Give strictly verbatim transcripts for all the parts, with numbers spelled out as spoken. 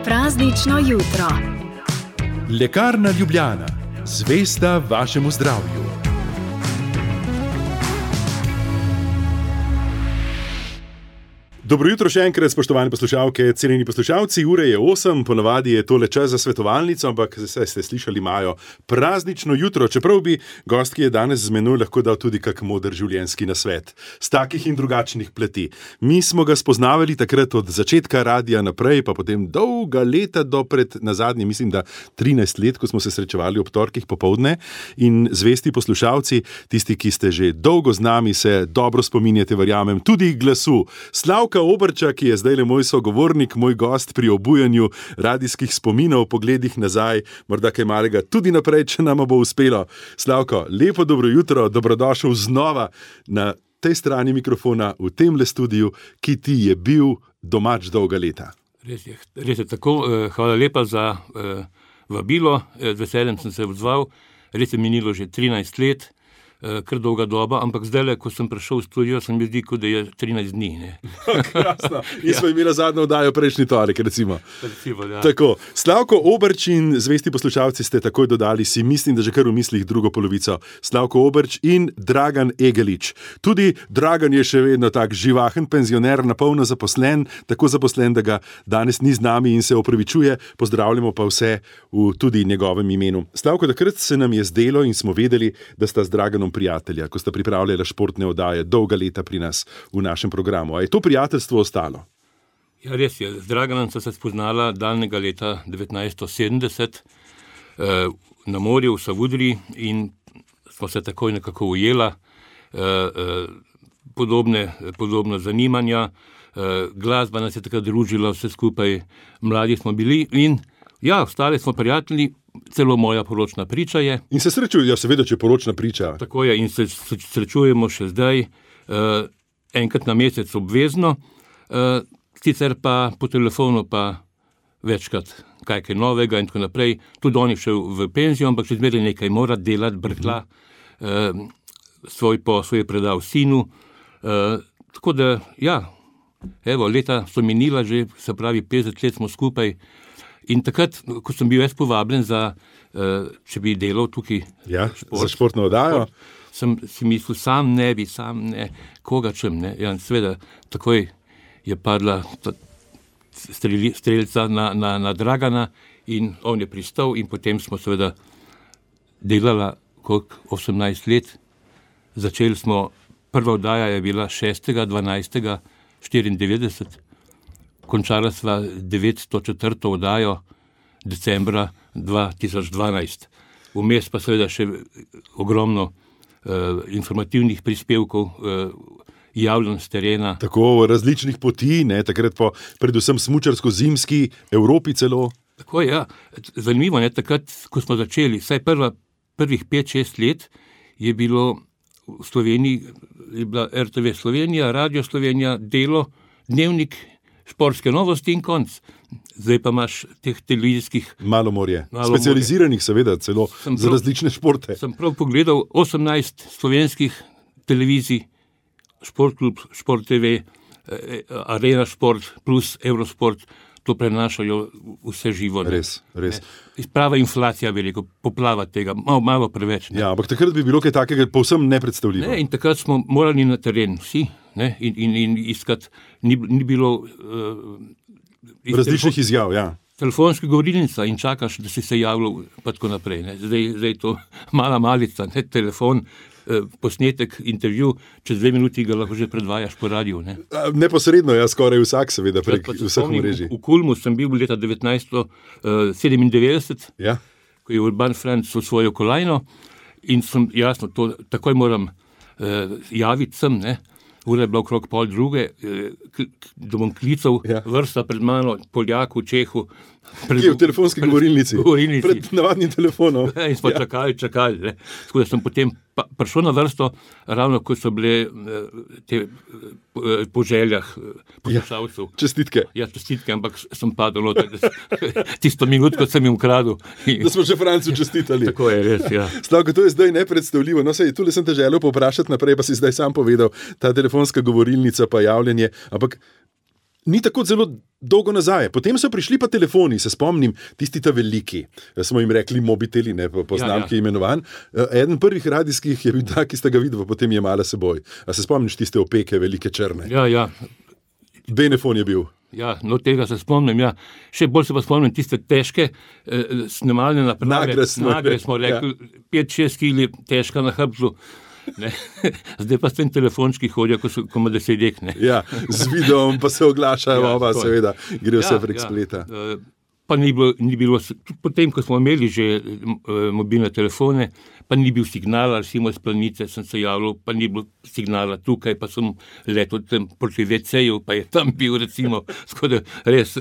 Praznično jutro. Lekarna Ljubljana, zvesta vašemu zdravju. Dobro jutro še enkrat, spoštovane poslušalke, cenjeni poslušalci. Ure je osem, ponavadi je tole čas za svetovalnico, ampak zdaj ste slišali, imajo praznično jutro, čeprav bi gost, ki je danes z menoj, lahko dal tudi kak moder življenjski nasvet. Z takih in drugačnih pleti. Mi smo ga spoznavali takrat od začetka radia naprej, pa potem dolga leta do pred nazadnje, mislim, da trinajst let, ko smo se srečevali ob torkih popoldne. In zvesti poslušalci, tisti, ki ste že dolgo z nami, se dobro spominjate, verjamem, tudi glasu Slavka Oberča, ki je zdaj le moj sogovornik, moj gost pri obujanju radijskih spominov, pogledih nazaj, morda kaj malega tudi naprej, če nama bo uspelo. Slavko, lepo dobro jutro, dobrodošel znova na tej strani mikrofona v temle studiu, ki ti je bil domač dolga leta. Res je, res je tako. Hvala lepa za uh, vabilo, z veseljem sem se odzval. Res je minilo že trinajst let, kar dolga doba, ampak zdaj, ko sem prišel v studio, sem mi zdi, kot da je trinajst dni. Ne? Krasno. In smo imeli zadnjo oddajo prejšnji torek, recimo. recimo ja. Tako, Slavko Oberč in zvesti poslušalci ste takoj dodali, si mislim, da že kar v mislih drugo polovico. Slavko Oberč in Dragan Egelič. Tudi Dragan je še vedno tak živahen penzioner, napolno zaposlen, tako zaposlen, da ga danes ni z nami in se opravičuje. Pozdravljamo pa vse v tudi njegovem imenu. Slavko, takrat se nam je zdelo in smo vedeli, da sta z Draganom prijatelja, ko sta pripravljala športne oddaje dolga leta pri nas v našem programu. A je to prijateljstvo ostalo? Ja, res je. Z Draganom so se spoznala daljnega leta devetnajststo sedemdeset eh, na morju v Savudriji in smo se takoj nekako ujela. Eh, eh, podobne, podobne zanimanja, eh, glasba nas je takrat družila, vse skupaj mladi smo bili in ja, ostali smo prijatelji. Celo moja poročna priča je. In se srečujejo, seveda, če poročna priča. Tako je, in se srečujemo še zdaj, uh, enkrat na mesec obvezno, uh, sicer pa po telefonu pa večkrat kaj kaj novega in tako naprej. Tudi on je šel v penzijo, ampak še zmeraj nekaj mora delati, brkla, uh, svoj posel je predal sinu. Uh, tako da, ja, evo, leta so minila že, se pravi, petdeset let smo skupaj. In takrat, ko sem bil jaz povabljen za, uh, če bi delal tukaj ja, šport, za športno oddajo, sem si mislil, sam ne bi, sam ne, koga čem, ne. Ja, seveda, takoj je padla streli, strelca na, na, na Dragana in on je pristal in potem smo seveda delala koliko osemnajst let. Začeli smo, prva oddaja je bila šestega dvanajstega štiriindevetdeset. Končala sva devetsto četrto oddajo decembra dva tisoč dvanajst. Vmes pa seveda še ogromno uh, informativnih prispevkov, uh, javljanj s terena. Tako različnih poti, ne, takrat po predvsem smučarsko-zimski Evropi celo. Tako je, ja. Zanimivo, ne, takrat, ko smo začeli, vsaj prva, prvih pet šest let je bilo v Sloveniji, je bila er te ve Slovenija, Radio Slovenija, Delo, Dnevnik, športske novosti in konc. Zdaj pa imaš teh televizijskih... Malo morje. Malo specializiranih morje. Seveda, celo prav, za različne športe. Sem prav pogledal osemnajst slovenskih televizij, Športklub, Šport te ve, Arena Šport plus Eurosport, to prenašajo vse živo. Ne? Res, res. Prava inflacija veliko, poplava tega, malo, malo preveč. Ne? Ja, ampak takrat bi bilo kaj takega povsem nepredstavljivo. Ne, in takrat smo morali na teren, vsi, ne, in, in, in iskati, ni, ni bilo... Uh, iz različnih telefon, izjav, ja. Telefonska govorilnica in čakaš, da si se javljal, pa tako naprej. Ne. Zdaj, zdaj to mala malica, ne, telefon, eh, posnetek, intervju, čez dve minuti ga lahko že predvajaš po radiju. Ne. Neposredno, ja, skoraj vsak seveda prek vseh mrežij. V, v Kulmu sem bil leta devetnajststo sedemindevetdeset, ja. Ko je Urban Franc osvojil kolajno in sem, jasno, to takoj moram eh, javiti sem, ne. Ura je bila okrog pol druge, da bom klical, ja. Vrsta pred mano, Poljaku, Čehu. Pred, Kje, v telefonski pred, govorilnici? govorilnici. Pred navadnim telefonom. Ja, in smo ja. čakali, čakali. Ne. Tako da sem potem pa, prišel na vrsto, ravno ko so bile te po željah poslušalcev. Ja, čestitke. Ja, čestitke, ampak sem padel tisto minutko sem jim ukradel. Da smo že Francu čestitali. Tako je, res, ja. Slavko, to je zdaj nepredstavljivo. No, sej, tule sem te želel povprašati naprej, pa si zdaj sam povedal, ta telefonska govorilnica pa javljanje, ampak ni tako zelo dolgo nazaj. Potem so prišli pa telefoni, se spomnim, tisti ta veliki, smo jim rekli mobiteli, ne, po, po znamki ja, ja. imenovan. Eden prvih radijskih je bil tak, ki ste ga videli, potem je mala seboj. A se spomniš tiste opeke, velike črne? Ja, ja. Benefon je bil. Ja, no tega se spomnim, ja. Še bolj se pa spomnim tiste težke eh, snemalne naprave. Nagre smo, Nagre smo rekli, ja. pet šest kili težka na hrbtu. Ne. Zdaj pa s tem telefončki hodijo, ko so koma deset ne. Ja, z videom pa se oglašajo, ja, oba, seveda, gre vse ja, prek ja. spleta. Pa ni bilo, ni bilo, potem, ko smo imeli že mobilne telefone, pa ni bil signal, recimo iz Planice sem se javljal, pa ni bilo signala tukaj, pa sem letel tam proti ve ceju, pa je tam bil, recimo, skoraj res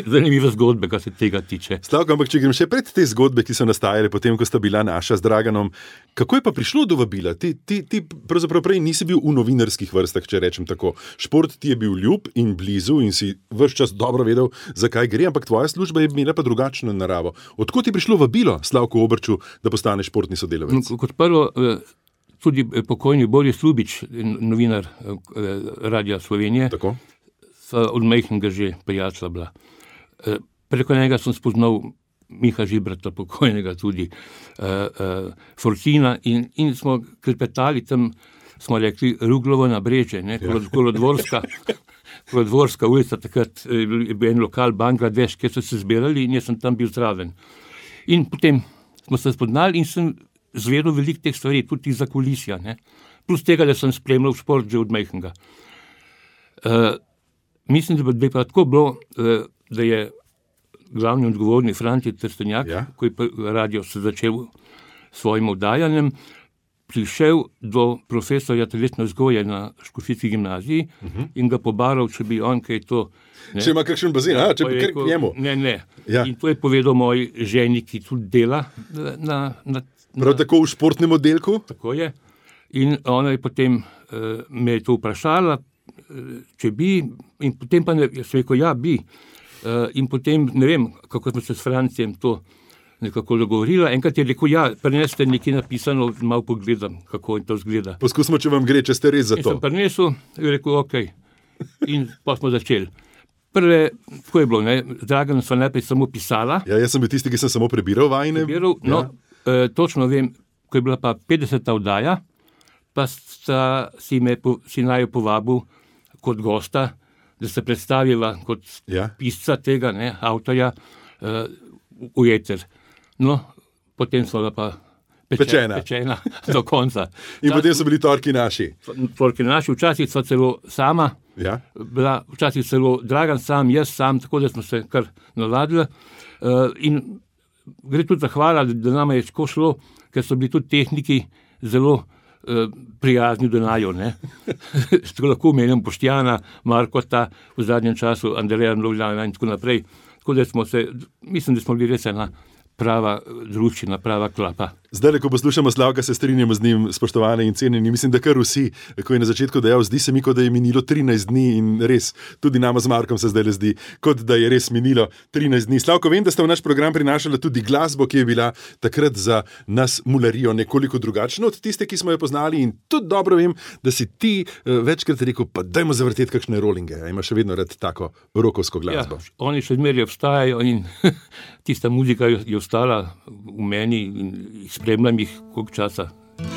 zanimive zgodbe, kar se tega tiče. Slavko, ampak če grem še pred te zgodbe, ki so nastajale potem, ko sta bila naša z Draganom, kako je pa prišlo do vabila? Ti, ti, ti pravzaprav prej nisi bil v novinarskih vrstah, če rečem tako. Šport ti je bil ljub in blizu in si ves čas dobro vedel, zakaj gre, ampak tvoja služba je imela pa drugačno naravo. Odkot je prišlo vabilo Slavku Obrču, da postane športni sodelavec? Kot prvo, tudi pokojni Boris Ljubič, novinar Radia Slovenije, Tako? so od majhnega že prijatelja bila. Preko njega sem spoznal Miha Žibrata, pokojnega tudi, Fortina in, in smo klepetali tam, smo rekli, Ruglovo nabrežje, ne, Kolodvorska, Kolodvorska ulica, takrat je bil en lokal Bangladeš, kjer so se zbirali in jaz sem tam bil zraven. In potem smo se spoznali in sem zvedel veliko teh stvari, tudi za kulisja, ne. Plus tega, da sem spremljal šport že od majhnega. Uh, mislim, da bi pa tako bilo, uh, da je glavni odgovorni Franti Trstenjak, ja. ko je radio se začel svojim oddajanjem, prišel do profesorja telesne vzgoje na Škofijski gimnaziji uh-huh. in ga pobaral, če bi on kaj to... Ne, če ima kakšen bazen, a, če bi kar k njemu. Ne, ne. Ja. In to je povedal moj ženi, ki tudi dela na... na Prav tako v športnem oddelku? Tako je. In ona je potem uh, me je to vprašala, uh, če bi, in potem pa ne, jaz rekel, ja, bi. Uh, in potem, ne vem, kako smo se s Francijem to nekako dogovorila. Enkrat je rekel, ja, prineste nekaj napisano, malo pogledam, kako to zgleda. Poskusimo, če vam gre, če ste res za to. In sem prinesel, in rekel, ok. In pa smo začeli. Prve, tako je bilo, ne, Dragan sva najprej samo pisala. Ja, jaz sem bil tisti, ki sem samo prebiral vajne. Prebiral, no, ja. E, točno vem, ko je bila pa petdeseta oddaja, pa sta si me si naju povabil kot gosta, da se predstavila kot ja. pisca tega, ne, avtorja, uh, v eter. No, potem so pa peče, pečena. pečena do konca. In Včasih, potem so bili torki naši. Torki naši, včasih so celo sama, ja. bila, včasih celo Dragan sam, jaz sam, tako da smo se kar navadili. Uh, in gre tudi zahvala, da nama je tako šlo, ker so bili tudi tehniki zelo uh, prijazni do naju, ne. Tako lahko omenjam Boštjana, Markota, v zadnjem času Andreja Mlovljana in tako naprej. Tako da smo se, mislim, da smo bili res ena prava druščina, prava klapa. Zdaj, ko poslušamo Slavka, se strinjamo z njim, spoštovane in cenjeni. Mislim, da kar vsi, ko je na začetku dejal, zdi se mi, kot da je minilo trinajst dni in res, tudi nama z Markom se zdaj zdi, kot da je res minilo trinajst dni. Slavko, vem, da ste v naš program prinašali tudi glasbo, ki je bila takrat za nas mularijo nekoliko drugačna od tiste, ki smo jo poznali, in tudi dobro vem, da si ti uh, večkrat rekel, pa dajmo zavrteti kakšne rolinge. A imaš še vedno rad tako rokovsko glasbo? Ja, oni še zmeraj obstajajo in tista muzika je ostala v meni in spremljam jih koliko časa,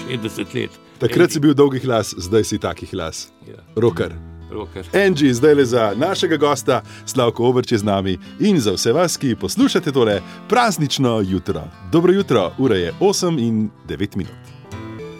šestdeset let. Takrat si bil dolgih las, zdaj si takih las. Ja. Rocker. Rocker. Angie, zdaj le za našega gosta, Slavko Obrč je z nami in za vse vas, ki poslušate tole praznično jutro. Dobro jutro, ura je osem in devet minut.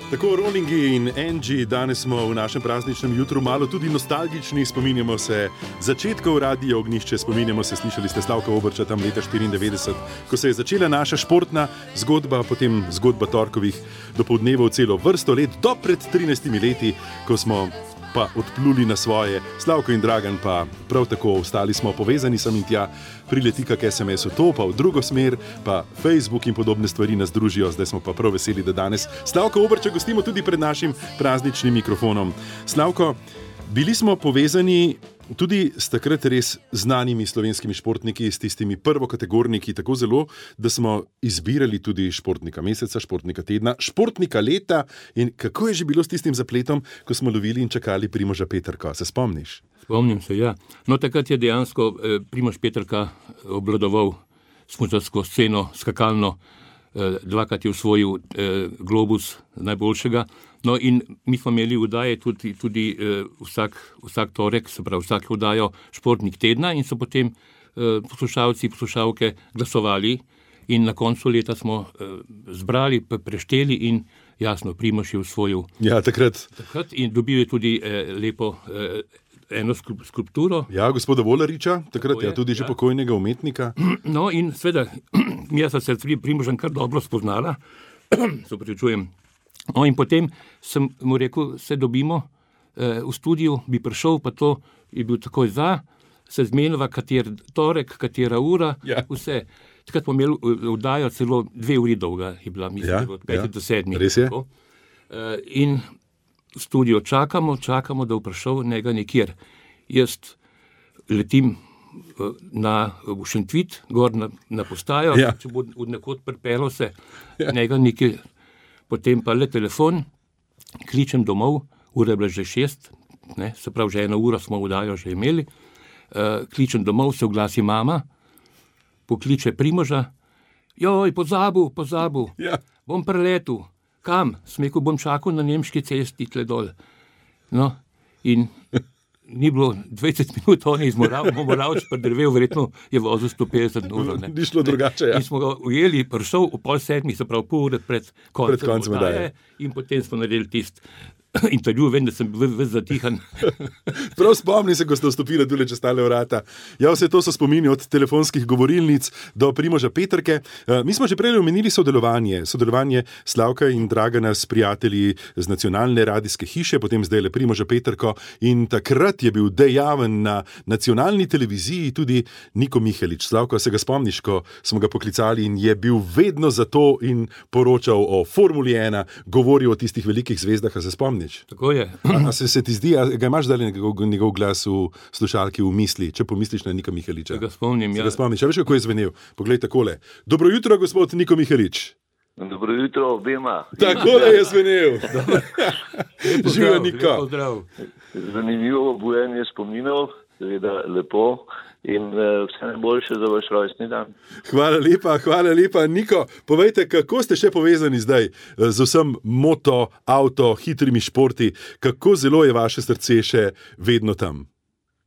Tako Rollingi in Angie, danes smo v našem prazničnem jutru malo tudi nostalgični, spominjamo se začetkov Radia Ognjišče, spominjamo se, slišali ste Slavka Obrča tam leta štiriindevetdeset, ko se je začela naša športna zgodba, potem zgodba torkovih dopoldnevov celo vrsto let, do pred trinajstimi leti, ko smo pa odpluli na svoje. Slavko in Dragan pa prav tako, ostali smo povezani sem in tja, prileti kak es em es v to, pa v drugo smer, pa Facebook in podobne stvari nas družijo, zdaj smo pa prav veseli, da danes Slavko Obrča gostimo tudi pred našim prazničnim mikrofonom. Slavko, bili smo povezani Tudi s takrat res znanimi slovenskimi športniki, s tistimi prvokategorniki, tako zelo, da smo izbirali tudi športnika meseca, športnika tedna, športnika leta. In kako je že bilo s tistim zapletom, ko smo lovili in čakali Primoža Peterka? Se spomniš? Spomnim se, ja. No, takrat je dejansko eh, Primož Peterka obvladoval smučarsko sceno, skakalno, eh, dvakrat je osvojil eh, globus najboljšega. No, in mi smo imeli vdaje tudi, tudi eh, vsak, vsak torek, se pravi vsak vdajo športnik tedna in so potem eh, poslušalci, poslušalke glasovali in na koncu leta smo eh, zbrali, prešteli in jasno, Primož je osvojil. Ja, takrat. Takrat in dobil je tudi eh, lepo eh, eno skulpturo. Ja, gospoda Volariča, takrat je, ja, tudi ja. že pokojnega umetnika. No in seveda, jaz sem se s Primožem kar dobro spoznala, se opravičujem. No in potem sem mu rekel, se dobimo eh, v studiu, bi prišel, pa to je bil takoj za, se zmenila, kater torek, katera ura, ja. vse. Takrat smo imeli vdajo celo dve uri dolga, je bila, mislim, ja, od petih ja. do sedmih. Res je. Eh, in v studiu čakamo, čakamo, da bo prišel, njega nikjer. Jaz letim na Šentvit, gor na, na postajo, ja. če bo od nekod pripelo se, ja. njega nikjer. Potem pa le telefon, kličem domov, ura je bila že šest, ne, se pravi, že eno uro smo vdajo že imeli, uh, kličem domov, se oglasi mama, pokliče Primoža, joj, pozabil, pozabil, ja. bom preletel, kam? Smekel bom čakal na nemški cesti tle dol. No, in ni bilo dvajset minut, on je iz Moravč predrvel, verjetno je vozil sto petdeset ur. Ni šlo drugače, ja. In smo ga ujeli, prišel v pol sedmih, se pravi pol ure pred koncem, pred koncem vdaje. In potem smo naredili tist intervju, vem, da sem bil ves zatihan. Prav spomni se, ko ste vstopili tule čez tale vrata. Ja, vse to so spomini od telefonskih govorilnic do Primoža Peterke. Mi smo že prej omenili sodelovanje, sodelovanje Slavka in Dragana s prijatelji z nacionalne radijske hiše, potem zdaj le Primoža Peterko, in takrat je bil dejaven na nacionalni televiziji tudi Niko Mihelič. Slavko, se ga spomniš, ko smo ga poklicali in je bil vedno za to in poročal o Formuli ena, govoril o tistih velikih zvezdah, a se spomniš? Tako je. A se, se ti zdi, a ga imaš zdaj njegov, njegov glas v slušalki v misli, če pomisliš na Nika Miheliča? Se ga spomnim, ja. Se ga spomniš, a veš, kako je zvenel? Poglej takole. Dobro jutro, gospod Niko Mihelič. Dobro jutro obema. Takole je zvenel. Živijo, Niko. Zanimivo bujenje spominov, seveda lepo. In uh, vse najboljše za vaš rojstni dan. Hvala lepa, hvala lepa. Niko, povejte, kako ste še povezani zdaj z vsem moto, avto, hitrimi športi? Kako zelo je vaše srce še vedno tam?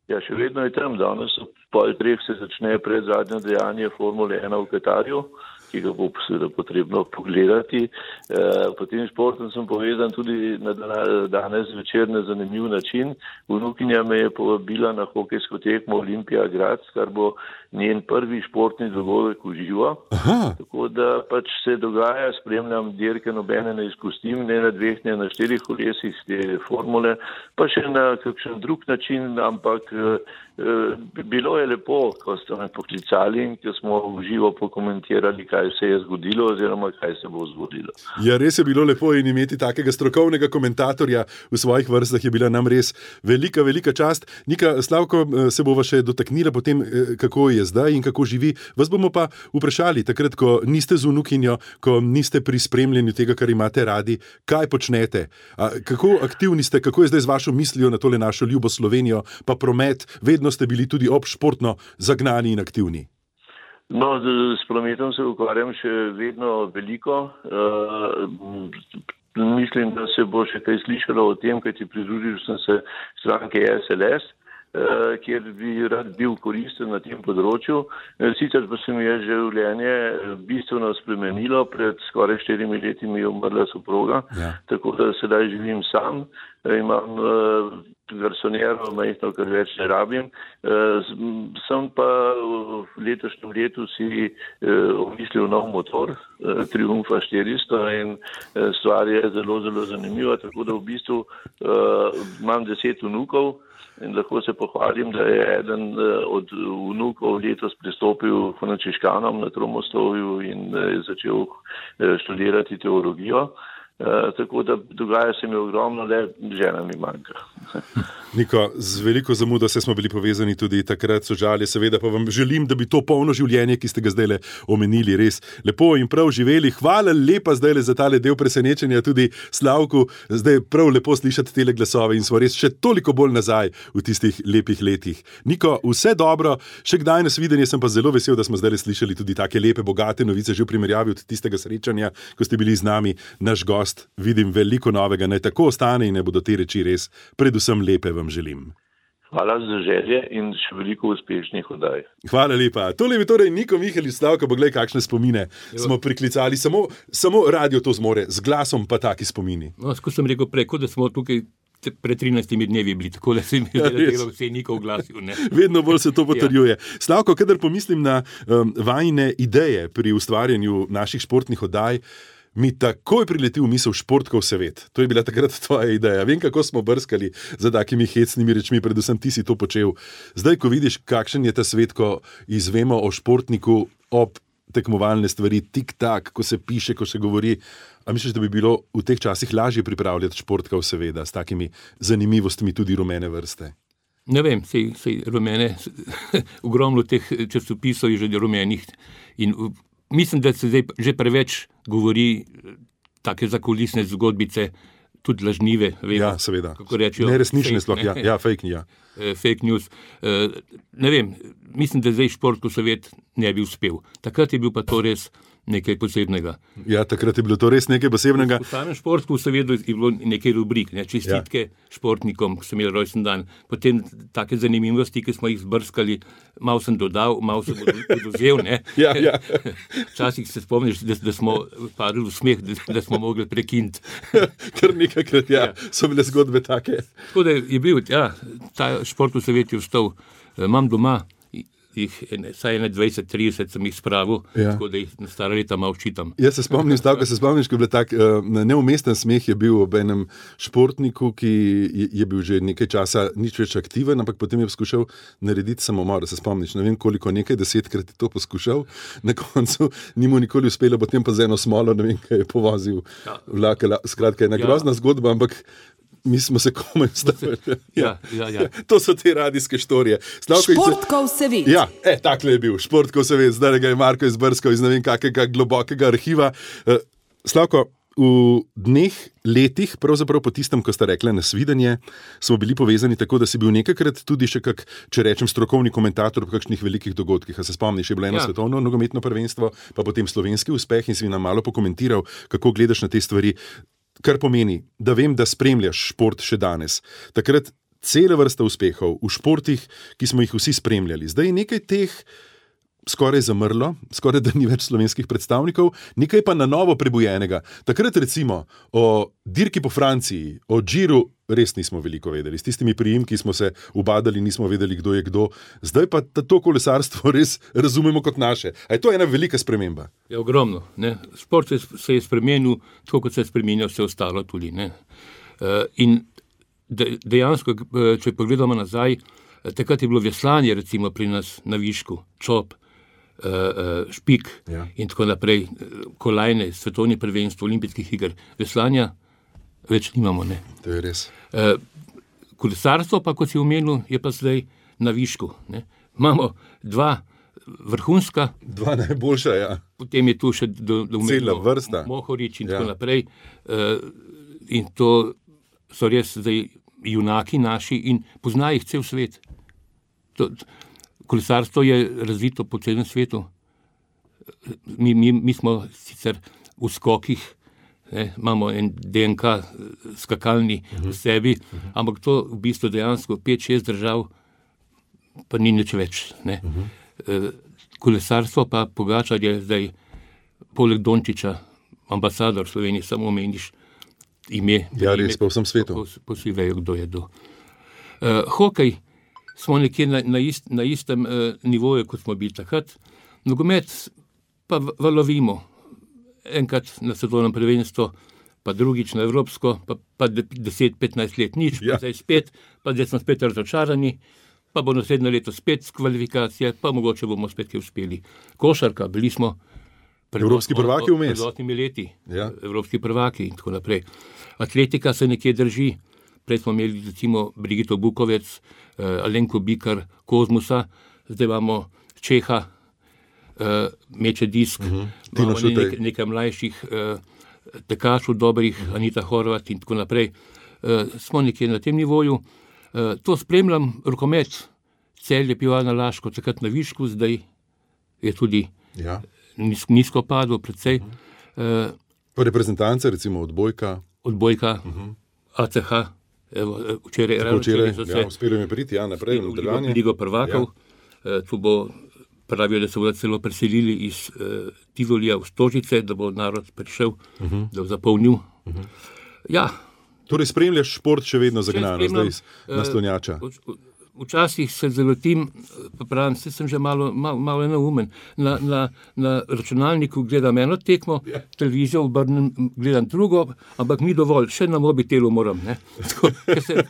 Ja, še vedno je tam. Danes ob pol treh se začne predzadnje dejanje Formule ena v Katarju, ki ga bo seveda potrebno pogledati. E, potem športom sem povezan tudi na danes večer na zanimiv način. Vnukinja me je povabila na hokejsko tekmo Olimpija Graz, kar bo njen prvi športni dogodek v živo. Tako da pač se dogaja, spremljam dirke, nobene ne izpustim, ne na dveh, ne na štirih kolesih te formule, pa še na kakšen drug način, ampak e, bilo je lepo, ko ste me poklicali in ko smo v živo pokomentirali, kaj se je zgodilo oziroma kaj se bo zgodilo. Ja, res je bilo lepo in imeti takega strokovnega komentatorja v svojih vrstah je bila nam res velika, velika čast. Nika, Slavko, se bova še dotaknila potem, kako je zdaj in kako živi. Vas bomo pa vprašali, takrat, ko niste z vnukinjo, ko niste pri spremljanju tega, kar imate radi, kaj počnete? A, kako aktivni ste, kako je zdaj z vašo mislijo na tole našo ljubo Slovenijo, pa promet, vedno ste bili tudi obšportno zagnani in aktivni? No, s prometom se ukvarjam še vedno veliko. Uh, mislim, da se bo še kaj slišalo o tem, kaj ti pridružil sem se stranke S L S, uh, kjer bi rad bil koristen na tem področju. Sicer pa se mi je življenje bistveno spremenilo. Pred skoraj štirimi leti mi je umrla soproga, ja. Tako da sedaj živim sam. Imam uh, garsonjero, majhno, kar več ne rabim. Uh, sem pa v letošnjem letu si uh, omislil nov motor, uh, Triumfa štiristo, in uh, stvar je zelo, zelo zanimiva, tako da v bistvu uh, imam deset vnukov in lahko se pohvalim, da je eden uh, od vnukov letos pristopil frančiškanom na Tromostovju in uh, je začel uh, študirati teologijo. Uh, tako da dogaja se mi ogromno, le žena mi manjka. Niko, z veliko zamudo se smo bili povezani tudi takrat, so žalje, seveda pa vam želim, da bi to polno življenje, ki ste ga zdaj omenili, res lepo in prav živeli. Hvala lepa zdaj za tale del presenečenja tudi Slavku, zdaj prav lepo slišati tele glasove in smo res še toliko bolj nazaj v tistih lepih letih. Niko, vse dobro, še kdaj nas videnje, sem pa zelo vesel, da smo zdaj slišali tudi take lepe, bogate novice že v primerjavi od tistega srečanja, ko ste bili z nami naš gost. Vidim veliko novega, naj tako ostane in ne bodo te reči res, predvsem lepe vam želim. Hvala za želje in še veliko uspešnih oddaj. Hvala lepa. Tole je torej Niko Michelič, Slavka, poglej, kakšne spomine jo. Smo priklicali. Samo, samo radio to zmore, z glasom pa taki spomini. No, ko sem rekel preko, da smo tukaj pred trinajstimi dnevi bili, tako da se mi je delo vse Niko oglasil. Ne? Vedno bolj se to potrjuje. Ja. Slavko, kadar pomislim na um, vajine ideje pri ustvarjanju naših športnih oddaj, mi takoj prileti v misel Športkov svet. To je bila takrat tvoja ideja. Vem, kako smo brskali za takimi hecnimi rečmi, predvsem ti si to počel. Zdaj, ko vidiš, kakšen je ta svet, ko izvemo o športniku ob tekmovalne stvari, tik-tak, ko se piše, ko se govori, a misliš, da bi bilo v teh časih lažje pripravljati Športkov seveda s takimi zanimivostmi tudi rumene vrste? Ne vem, sej, sej rumene, ogromno teh časopisov je že rumenih in mislim, da se zdaj že preveč govori take zakulisne zgodbice, tudi lažnive. Vemo, ja, seveda. Kako rečejo. Neresnične fake, sploh, ne? ja, ja, fake, ja. Fake news. Ne vem, mislim, da zdaj Športkov svet ne bi uspel. Takrat je bil pa to res nekaj posebnega. Ja, takrat je bilo to res nekaj posebnega. V samem Športku seveda je bilo nekaj rubrik, ne? Čestitke ja. športnikom, ki so imeli rojsten dan. Potem take zanimivosti, ki smo jih zbrskali, malo sem dodal, malo sem oduzel. ja, ja. Včasih se spomniš, da, da smo padli v smeh, da, da smo mogli prekiniti. Kar nekakrat, ja, ja, so bile zgodbe take. Tako da je bil, ja, ta Športkov svet je vstal. Imam doma jih, saj dvajset trideset sem jih spravil, ja. Tako da jih na stara leta malo čitam. Jaz se spomnim, stavka se spomniš, ko je bil tak uh, neumesten smeh je bil ob enem športniku, ki je, je bil že nekaj časa nič več aktiven, ampak potem je poskušal narediti samomor, se spomniš, ne vem koliko, nekaj desetkrat je to poskušal, na koncu ni mu nikoli uspelo, potem pa z eno smolo, ne vem, kaj je povozil ja. vlak, skratka, ena ja. grozna zgodba, ampak mi smo se komaj stavili. Ja, ja, ja. To so te radijske štorije. Slavko, Športkov svet. Ja, e, takle je bil, Športkov svet, zdaj ga je Marko izbrskal iz ne vem kakega globokega arhiva. Slavko, v dneh, letih, pravzaprav po tistem, ko sta rekla nasvidenje, smo bili povezani tako, da si bil nekakrat tudi še kak, če rečem, strokovni komentator v kakšnih velikih dogodkih. A se spomniš, je bilo eno ja. svetovno nogometno prvenstvo, pa potem slovenski uspeh in si nam malo pokomentiral, kako gledaš na te stvari. Kar pomeni, da vem, da spremljaš šport še danes. Takrat cela vrsta uspehov v športih, ki smo jih vsi spremljali. Zdaj je nekaj teh skoraj zamrlo, skoraj da ni več slovenskih predstavnikov, nekaj pa na novo prebujenega. Takrat recimo o dirki po Franciji, o Giru res nismo veliko vedeli. S tistimi priimki smo se ubadali, nismo vedeli, kdo je kdo. Zdaj pa to kolesarstvo res razumemo kot naše. A je to ena velika sprememba? Je ogromno. Ne? Šport se je spremenil, tako kot se je spremenil vse ostalo tudi. Ne? In dejansko, če pogledamo nazaj, takrat je bilo veslanje recimo pri nas na višku, čop, špik ja. in tako naprej, kolajne, svetovni prvenstvo, olimpijskih iger. Veslanja več nimamo. Ne? To je res. Kolesarstvo pa, kot si omenil, je pa zdaj na višku. Ne? Imamo dva vrhunska. Dva najboljša, ja. Potem je tu še do, do cela vrsta. Mohorič in ja. tako naprej. In to so res zdaj junaki naši in pozna jih cel svet. To, kolesarstvo je razvito po celem svetu. Mi, mi, mi smo sicer v skokih, ne, imamo en D N K skakalni uh-huh. v sebi, uh-huh. ampak to v bistvu dejansko pet šest držav pa ni nič več. Ne. Uh-huh. Kolesarstvo pa Pogačar je zdaj poleg Dončiča ambasador Slovenije, samo omeniš ime. Ja, res, po vsem svetu. Po, po vsi vejo, kdo je do. Uh, hokej smo nekje na, na, ist, na istem uh, nivoju, kot smo bili takrat. Nogomet pa valovimo. Enkrat na svetovnem prvenstvu, pa drugič na evropsko, pa, pa deset petnajst let nič, ja. pa zdaj spet, pa zdaj smo spet razočarani, pa bo naslednje leto spet kvalifikacije, pa mogoče bomo spet kaj uspeli. Košarka, bili smo pred, Evropski prvaki vmes. Pred osmimi leti. Ja. Evropski prvaki in tako naprej. Atletika se nekje drži. Prej smo imeli recimo Brigito Bukovec, uh, Alenko Bikar, Kozmusa, zdaj imamo Čeha, uh, Meče Disk, uh-huh. imamo nek, nekaj mlajših uh, tekačov dobrih, uh-huh. Anita Horvat in tako naprej. Uh, smo nekje na tem nivoju. Uh, to spremljam, rokomet, Celje, Pivovarna Laško, takrat na višku, zdaj je tudi ja. nis, nizko padlo, predvsej. Uh-huh. Uh, reprezentance, recimo odbojka. Odbojka, uh-huh. A C H, evo, včeraj, včeraj so se ja, uspeli mi priti, ja, naprej v nadaljevanje. Ligo prvakov, ja. uh, tu bo, pravijo, da se bodo celo preselili iz uh, Tivolija v Stožice, da bo narod prišel, uh-huh. da bo zapolnil. Uh-huh. Ja. Torej spremljaš šport še vedno zagnano, zdaj iz naslonjača. Uh, Včasih se zalotim, pa pravim, se sem že malo, malo, malo neumen. Na, na, na računalniku gledam eno tekmo, ja. televizijo obrnem, gledam drugo, ampak ni dovolj, še na mobitelu moram. Ne? Tako, se,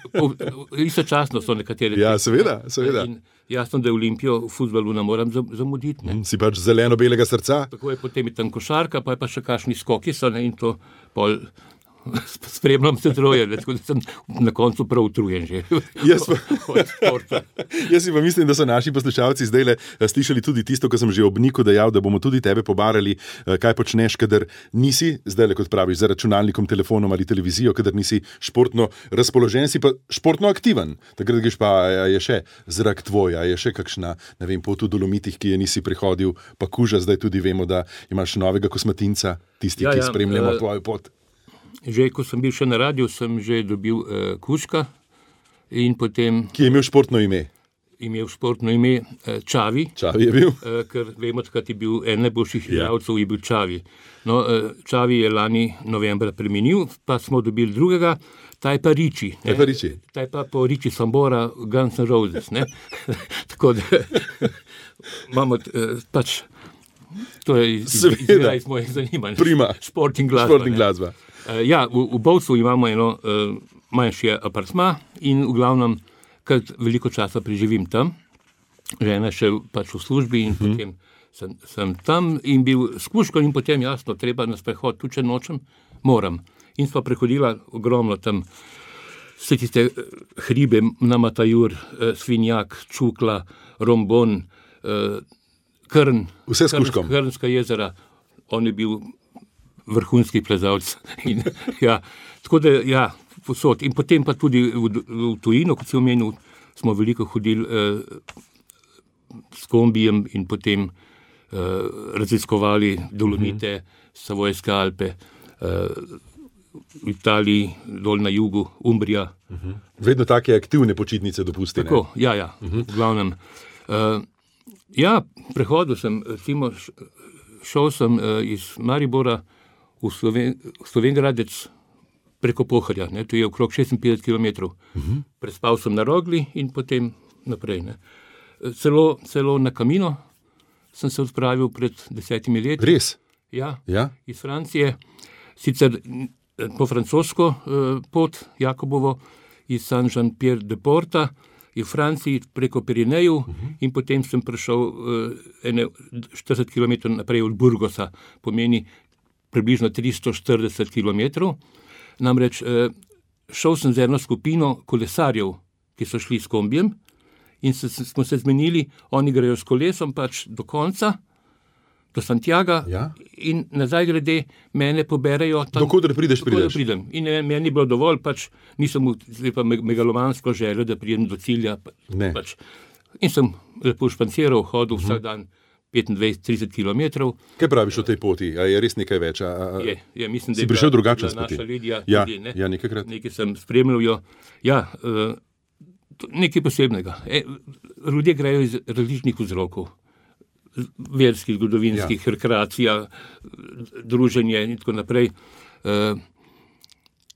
istočasno so nekatere tekme. Ja, seveda, seveda. In jasno, da je Olimpijo v futbalu ne moram zamuditi. Ne? Si pač zeleno-belega srca. Tako je, potem je tam košarka, pa je pa še kakšni skoki so, ne? In to pol... Spremljam se troje, tako da sem na koncu prav utrujen že. Jaz pa, jaz pa mislim, da so naši poslušalci zdaj le slišali tudi tisto, ko sem že ob Niku dejal, da bomo tudi tebe pobarali, kaj počneš, kadar nisi, zdaj le kot praviš, za računalnikom, telefonom ali televizijo, kadar nisi športno razpoložen, si pa športno aktiven. Takrat greš pa, je še zrak tvoj, je še kakšna, ne vem, pot v Dolomitih, ki je nisi prihodil, pa kuža, zdaj tudi vemo, da imaš novega kosmatinca, tisti, ja, ki ja, spremljamo uh... tvojo pot. Že, ko sem bil še na radiju, sem že dobil uh, Kuška in potem... Ki je imel športno ime? Imel športno ime uh, Čavi. Čavi je bil? Uh, ker vemo, takrat je bil en najboljših igralcev, je bil Čavi. No, uh, Čavi je lani novembra premenil, pa smo dobili drugega, ta je pa Riči. Ta je pa Riči. Ta je pa po Riči Sambora, Guns N' Roses, ne? Tako da imamo uh, pač... To je izgleda iz mojih zanimanj. Prima. Šport in glasba. Šport in glasba. Uh, ja, v, v Bovcu imamo eno uh, manjši apartma in v glavnem, kar veliko časa preživim tam. Žena še pač v službi in uh-huh. potem sem, sem tam in bil s Kuško in potem jasno, treba na sprehod, tudi če nočem, moram. In sva prehodila ogromno tam vse tiste hribe, Namatajur, uh, Svinjak, Čukla, Rombon, uh, Krn, vse s Kuškom. Krnska jezera, on je bil vrhunski plezalc. In, ja, tako da, ja, posod. In potem pa tudi v, v tujino, kot si omenil, smo veliko hodili eh, s kombijem in potem eh, raziskovali Dolomite, uh-huh. Savojske Alpe, eh, v Italiji, dol na jugu, Umbrija. Uh-huh. Vedno take aktivne počitnice dopustene. Tako, ja, ja, uh-huh. v glavnem. Eh, Ja, prehodil sem, recimo, šel sem uh, iz Maribora v Sloven, Slovengradec preko Pohorja, ne, to je okrog šestinpetdeset kilometrov. Uh-huh. Prespal sem na Rogli in potem naprej. Ne. Celo, celo na Camino sem se odpravil pred desetimi leti. Res? Ja, ja? Iz Francije, sicer po francosko uh, pot Jakobovo, iz Saint-Jean-Pierre-de-Porta, in v Franciji preko Pirineju uh-huh. in potem sem prišel uh, ene štirideset kilometrov naprej od Burgosa, pomeni približno tristo štirideset kilometrov. Namreč uh, šel sem z eno skupino kolesarjev, ki so šli s kombijem in se, smo se zmenili, oni grejo s kolesom pač do konca, do Santiaga ja? in nazaj glede mene poberejo. Dokodr prideš, dokodr prideš. Pridem. In ne, meni je bilo dovolj, pač nisem pa megalomansko želel, da pridem do cilja. Pač. In sem lepo španciral, hodil uh-huh. vsak dan petindvajset do trideset kilometrov. Kaj praviš o tej poti? A je res nekaj več? A, a... Je, je, mislim, si da je prišel bila, drugačen bila naša Lidija. Ja, tudi, ne? ja, nekajkrat. Nekaj sem spremljal jo. Ja, uh, nekaj posebnega. E, ljudje grejo iz različnih vzrokov. Verskih, zgodovinskih, ja. rekreacija, druženje in tako naprej. Uh,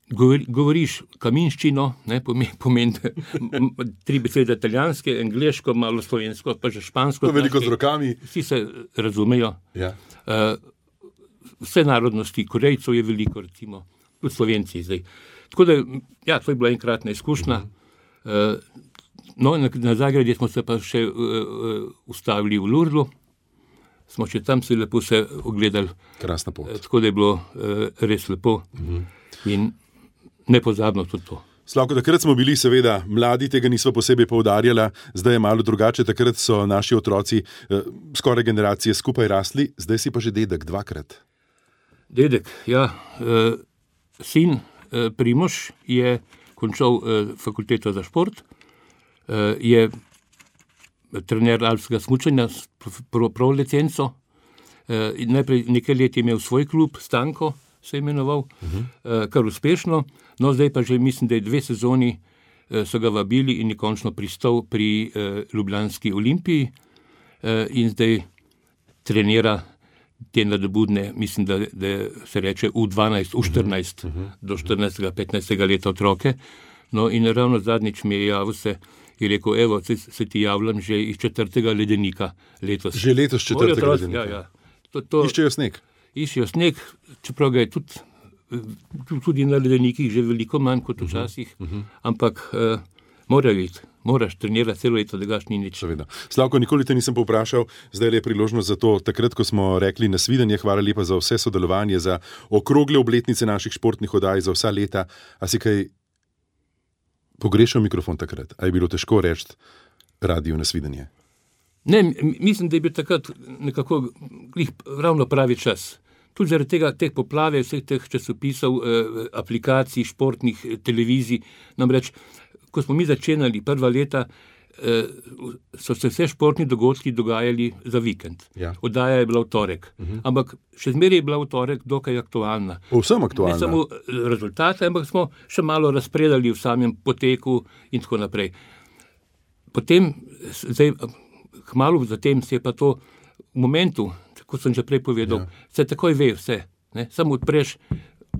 govori, govoriš kaminščino, ne, pomeni, pomeni tri besede italijanske, angleško, malo slovensko, pa že špansko. Veliko z rokami. Vsi se razumejo. Ja. Uh, vse narodnosti, Korejcev je veliko, recimo, tudi Slovenci zdaj. Tako da, ja, to je bila enkratna izkušnja. Uh-huh. Uh, no, na, na Zagrebju smo se pa še uh, uh, ustavili v Lourdesu. smo še tam si lepo se ogledali. Krasna pot. Tako da je bilo uh, res lepo uh-huh. in nepozabno tudi to. Slavko, takrat smo bili seveda mladi, tega nismo posebej poudarjali, zdaj je malo drugače, takrat so naši otroci eh, skoraj generacije skupaj rasli, zdaj si pa že dedek dvakrat. Dedek, ja. Eh, sin eh, Primož je končal eh, fakulteto za šport, eh, je trener alpskega smučanja s prav, prav licenco, eh, najprej nekaj let je imel svoj klub, Stanko se je imenoval, uh-huh. eh, kar uspešno. No, zdaj pa že mislim, da je dve sezoni eh, so ga vabili in je končno pristal pri eh, Ljubljanski Olimpiji eh, in zdaj trenira te nadobudne, mislim, da, da se reče U dvanajst, U štirinajst, uh-huh. do štirinajstega, petnajstega leta otroke. No in ravno zadnjič mi je javil se, je rekel, evo, se, se ti javljam že iz četrtega ledenika letos. Že letos četrtega ledenika? Ja, ja. To, to, iščejo sneg? Iščejo sneg, čeprav ga je tudi tudi na ledenikih že veliko manj kot včasih, uh-huh, uh-huh. ampak uh, morajo iti, moraš trenirati celo leto, da gaš ni nič. Seveda. Slavko, nikoli te nisem povprašal, zdaj je priložnost za to, takrat, ko smo rekli nasvidenje, hvala lepa za vse sodelovanje, za okrogle obletnice naših športnih oddaj, za vsa leta. A si kaj pogrešal mikrofon takrat? A je bilo težko reči radio nasvidenje? Ne, mislim, da je bil takrat nekako ravno pravi čas. Tudi zaradi tega, teh poplave, vseh teh časopisov, eh, aplikacij, športnih eh, televizij. Namreč, ko smo mi začenjali prva leta, eh, so se vse športni dogodki dogajali za vikend. Ja. Oddaja je bila v torek. Uh-huh. Ampak še zmeraj je bila v torek dokaj aktualna. Povsem aktualna. Ne samo rezultate, ampak smo še malo razpredali v samem poteku in tako naprej. Potem, zdaj, kmalu zatem se je pa to v momentu, kot sem že prej povedal, ja. se takoj ve vse. Ne? Samo odpreš,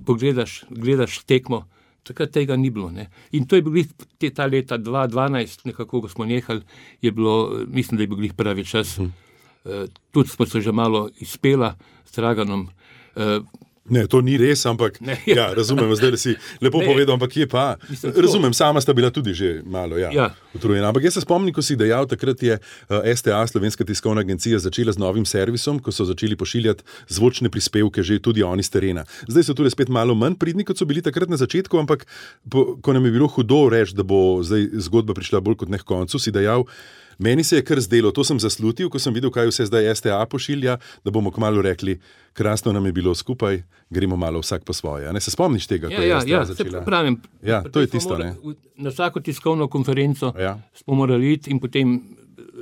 pogledaš, gledaš tekmo, takrat tega ni bilo. Ne? In to je bilo te, ta leta dva tisoč dvanajst, nekako, ko smo nehali, je bilo, mislim, da je bil pravi čas. Hm. Uh, tudi smo se že malo izpela s Draganom. Uh, Ne, to ni res, ampak ne, ja. Ja, razumem, zdaj da si lepo ne, povedal, ampak je pa, mislim, razumem, sama sta bila tudi že malo ja, ja. utrujena. Ampak jaz se spomnim, ko si dejal, takrat je uh, S T A, Slovenska tiskovna agencija, začela z novim servisom, ko so začeli pošiljati zvočne prispevke, že tudi oni z terena. Zdaj so tudi spet malo manj pridni, kot so bili takrat na začetku, ampak po, ko nam je bilo hudo reči, da bo zdaj zgodba prišla bolj kot ne k koncu, si dejal, meni se je kar zdelo, to sem zaslutil, ko sem videl, kaj vse zdaj S T A pošilja, da bomo kmalu rekli, krasno nam je bilo skupaj, gremo malo vsak po svoje. Ne se spomniš tega, ja, ko je ja, S T A ja, začela? Pravim, ja, to je tisto, morali, ne? Na vsako tiskovno konferenco ja. smo morali iti in potem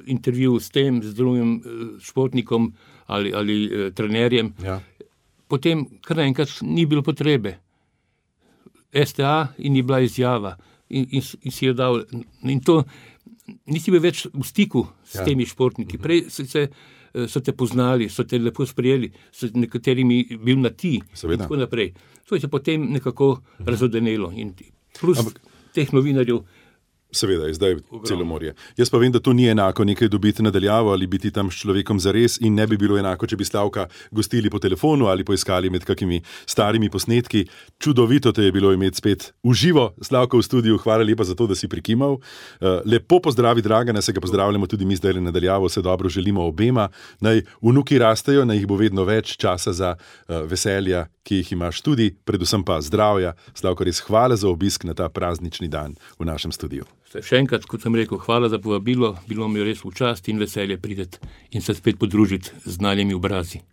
intervju s tem, z drugim športnikom ali, ali eh, trenerjem. Ja. Potem kar naenkrat ni bilo potrebe. S T A in je bila izjava in, in, in si jo dal. In to nisi bil več v stiku s ja. temi športniki. Prej so, se, so te poznali, so te lepo sprejeli, so nekaterimi bil na ti Seveda. in tako naprej. To je se potem nekako razodenelo. In plus Ampak... teh novinarjev Seveda, je zdaj celo morje. Jaz pa vem, da to ni enako nekaj dobiti nadaljavo ali biti tam s človekom zares in ne bi bilo enako, če bi Slavka gostili po telefonu ali poiskali med kakimi starimi posnetki. Čudovito te je bilo imeti spet v živo, Slavko v studiu, hvala lepa za to, da si prikimal. Lepo pozdravi Dragana, se ga pozdravljamo tudi mi zdaj nadaljavo, vse dobro želimo obema. Naj vnuki rastejo, naj jih bo vedno več časa za veselja, ki jih imaš tudi, predvsem pa zdravja. Slavko, res hvala za obisk na ta praznični dan v našem studiu. Še enkrat, kot sem rekel, hvala za povabilo, bilo mi res v čast in veselje prideti in se spet podružiti z znanimi obrazi.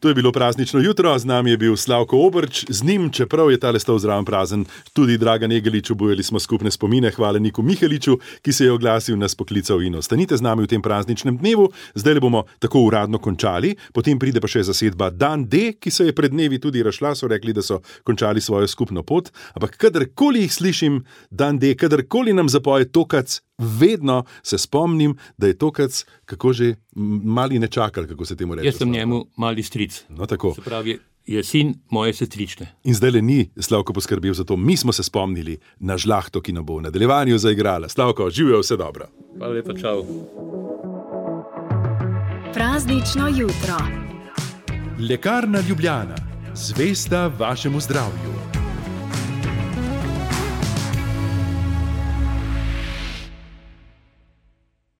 To je bilo praznično jutro, z nami je bil Slavko Obrč, z njim, čeprav je tale stol zraven prazen, tudi Dragan Egelič, obujali smo skupne spomine, hvala Niku Miheliču, ki se je oglasil, nas poklical in ostanite z nami v tem prazničnem dnevu. Zdaj le bomo tako uradno končali, potem pride pa še zasedba Dan D, ki se je pred dnevi tudi razšla, so rekli, da so končali svojo skupno pot, ampak kadarkoli jih slišim, Dan D, kadarkoli nam zapoje Tokac, vedno se spomnim, da je Tokac, kako že mali nečakal, kako se temu reče. Jaz sem njemu mali stric. No, tako. Se pravi, je sin moje sestrične. In zdaj le ni Slavko poskrbel za to. Mi smo se spomnili na žlahto, ki nam bo v nadaljevanju zaigrala. Slavko, živijo, vse dobro. Hvala lepa, čau. Praznično jutro. Lekarna Ljubljana, zvesta vašemu zdravju.